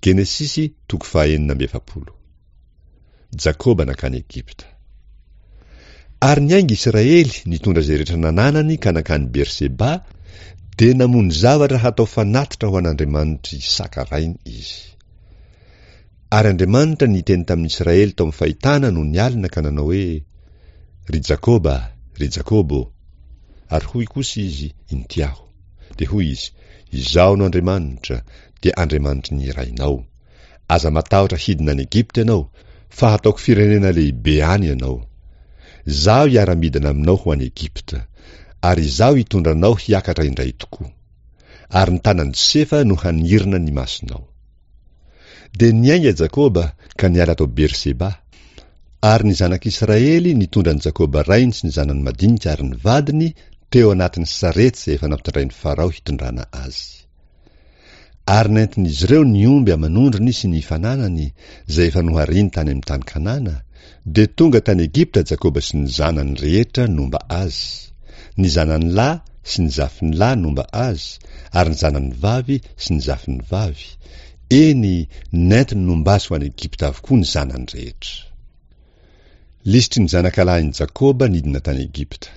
Genesisy toko fahaenina amby 40. Jakoba nankany Egypta. Ary niainga Israely nitondra izay rehetra nananany ka nankany Berseba, dia namono zavatra hatao fanatitra ho an'Andriamanitr'i Isaka rainy izy. Ary Andriamanitra niteny tamin'Israely tao amin'ny fahitana nony alina ka nanao hoe, Ry Jakoba, ry Jakoba ô! Ary hoy kosa izy, Inty aho. Dia hoy izy, Izaho no Andriamanitra, dia Andriamanitry ny rainao. Aza matahotra hidina any Egypta ianao, fa hataoko firenena lehibe any ianao. Izaho hiara-midina aminao ho any Egypta, ary Izaho hitondra anao hiakatra indray tokoa. Ary ny tanan'i Josefa no hanirina ny masonao. Dia niainga Jakoba ka niala tao Berseba. Ary ny zanak'Israely nitondra an'i Jakoba rainy sy ny zanany madinika ary ny vadiny teo anatin'ny sarety izay efa nampitondrain'i Farao hitondrana azy. Ary nentin'izy ireo ny omby aman'ondriny sy ny fananany, izay efa nohariny tany amin'ny tany Kanana, dia tonga tany Egypta Jakoba sy ny zanany rehetra nomba azy, ny zanany lahy sy ny zafiny lahy nomba azy, ary ny zanany vavy sy ny zafiny vavy, eny, nentiny nomba azy ho any Egypta avokoa ny zanany rehetra. Lisitry ny zanakalahin'i Jakoba nidina tany Egypta.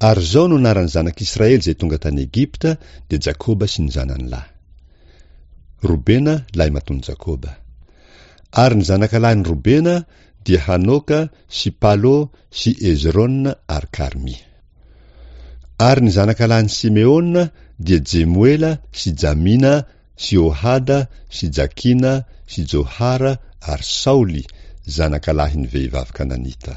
Ary izao no anaran'ny zanak'Israely izay tonga tany Egypta, dia Jakoba sy ny zanany lahy. Robena, lahimatoan'i Jakoba. Ary ny zanakalahin'i Robena dia Hanoka sy Palo sy Hezrona ary Karmy. Ary ny zanakalahin'i Simeona dia Jemoela sy Jamina sy Ohada sy Jakina sy Johara ary Saoly, zanakalahin'ny vehivavy kananita.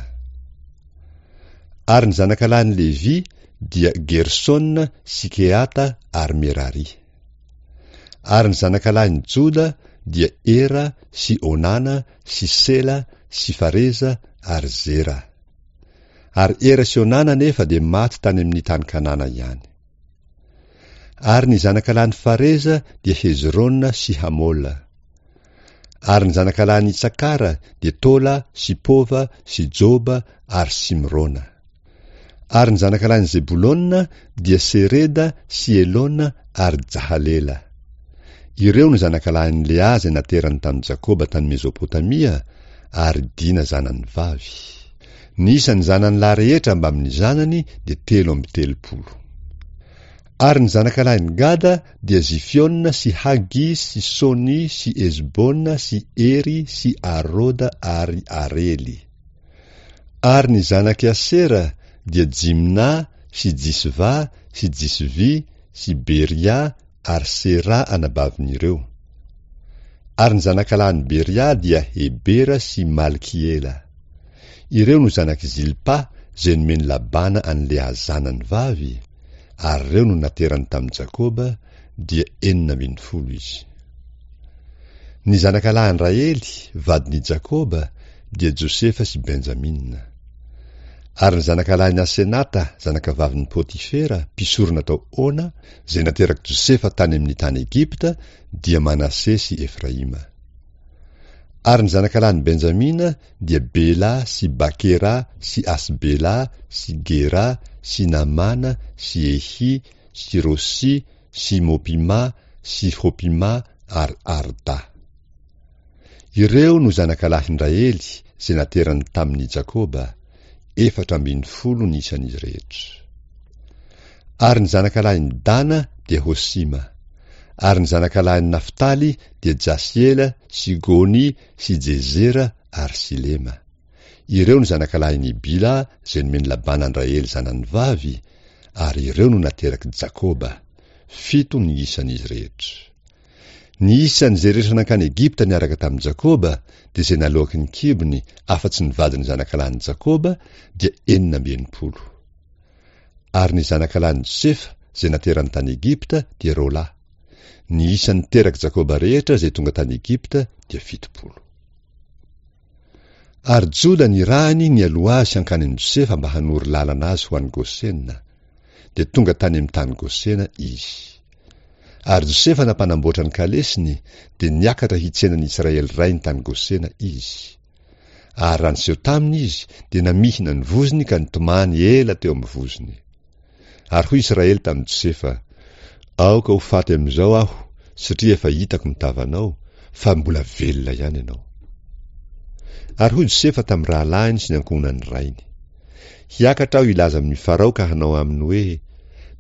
Ary ny zanakalahin'i Levy dia Gersona sy Kehata ary Merary. Ary ny zanakalahin'i Joda dia Era sy Onana sy Sela sy Fareza ary Zera. Ary Era sy Onana anefa dia maty tany amin'ny tany Kanana ihany. Ary ny zanakalahin'i Fareza dia Hezrona sy Hamola. Ary ny zanakalahin'i Isakara dia Tola sy Pova sy Joba ary Simrona. Ary ny zanakalahin'i Zebolona dia Sereda sy Elona ary Jahalela. Ireo no zanakalahin'i Lea izay naterany tamin'i Jakoba tany Mezopotamia, ary Dina zanany vavy. Ny isan'ny zanany lahy rehetra mbamin'ny zanany dia 33. Ary ny zanakalahin'i Gada dia Zifiona sy Hagy sy Sony sy Ezbona sy Ery sy Aroda ary Arely. Ary ny zanak'i Asera dia Jimna sy Jisva sy Jisvy sy Beria ary Sera anabavin'ireo. Ary ny zanakalahin'i Beria dia Hebera sy Malkiela. Ireo no zanak'i Zilpa izay nomen'i Labana an'i Lea zanany vavy, ary ireo no naterany tamin'i Jakoba, dia 16 izy. Ny zanakalahin'i Rahely, vadin'i Jakoba, dia Josefa sy Benjamina. Ary ny zanakalahin'i Asenata, zanakavavin'i Potifera, mpisorona tao Ona, izay naterak'i Josefa tany amin'ny tany Egypta, dia Manase sy Efraima. Ary ny zanakalahin'i Benjamina dia Bela sy Bakera sy Asbela sy Gera sy Namàna sy Ehy sy Rosy sy Mopima sy Hopima ary Arda. Ireo no zanakalahin-dRahely izay naterany tamin' i Jakoba, 14 ny isan' izy rehetra. Ary ny zanakalahin'i Dana dia Hosima. Ary ny zanakalahin'i Naftaly dia Jasiela sy Gony sy Jezera ary Silema. Ireo no zanakalahin'i Bila izay nomen'i Labana an-dRahely zanany vavy, ary ireo no naterak'i Jakoba. Fito ny isan'izy rehetra. Ny isan'izay rehetra nankany Egypta niaraka tamin'i Jakoba, dia izay naloaky ny kibony, afa-tsy ny vadin'ny zanakalahin'i Jakoba, dia 66. Ary ny zanakalahin'i Josefa izay naterany tany Egypta dia roalahy. Ny isan'ny terak'i Jakoba rehetra izay tonga tany Egypta dia 70. Ary Joda nirahiny nialoha azy hankany amin'i Josefa mba hanoro lalana azy ho any Gosena. Dia tonga tany amin'ny tany Gosena izy. Ary Josefa nampanamboatra ny kalesiny, dia niakatra hitsena ny Israely rainy tany Gosena izy. Ary raha niseho taminy izy, dia namihina ny vozony ka nitomany ela teo amin'ny vozony. Ary hoy Israely tamin'i Josefa, Aoka ho faty amin'izao aho, satria efa hitako ny tavanao, fa mbola velona ihany ianao. Ary hoy Josefa tamin'ny rahalahiny sy ny ankohonan'ny rainy, Hiakatra aho hilaza amin'i Farao ka hanao aminy hoe,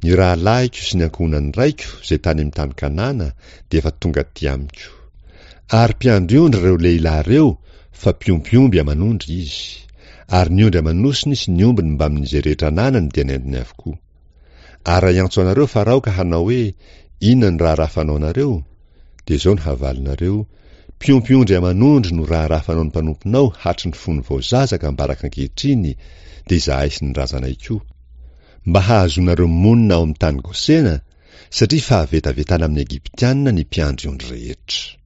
Ny rahalahiko sy ny ankohonan'ny raiko izay tany amin'ny tany Kanana dia efa tonga aty amiko. Ary mpiandry ondry ireo lehilahy ireo fa mpiompy omby aman'ondry izy. Ary ny ondry aman'osiny sy ny ombiny mbamin'izay rehetra ananany dia nentiny avokoa. Ary raha hiantso anareo Farao ka hanao hoe, Inona no raharaha fanaonareo? Dia izao no havalinareo, Mpiompy ondry aman'ondry no raharaha fanaon'ny mpanomponao hatry ny fony vao zaza ka ambaraka ankehitriny, dia izahay sy ny razanay koa. Mba hahazoanareo monina ao amin'ny tany Gosena, satria fahavetavetana amin'ny Egyptiana ny mpiandry ondry rehetra.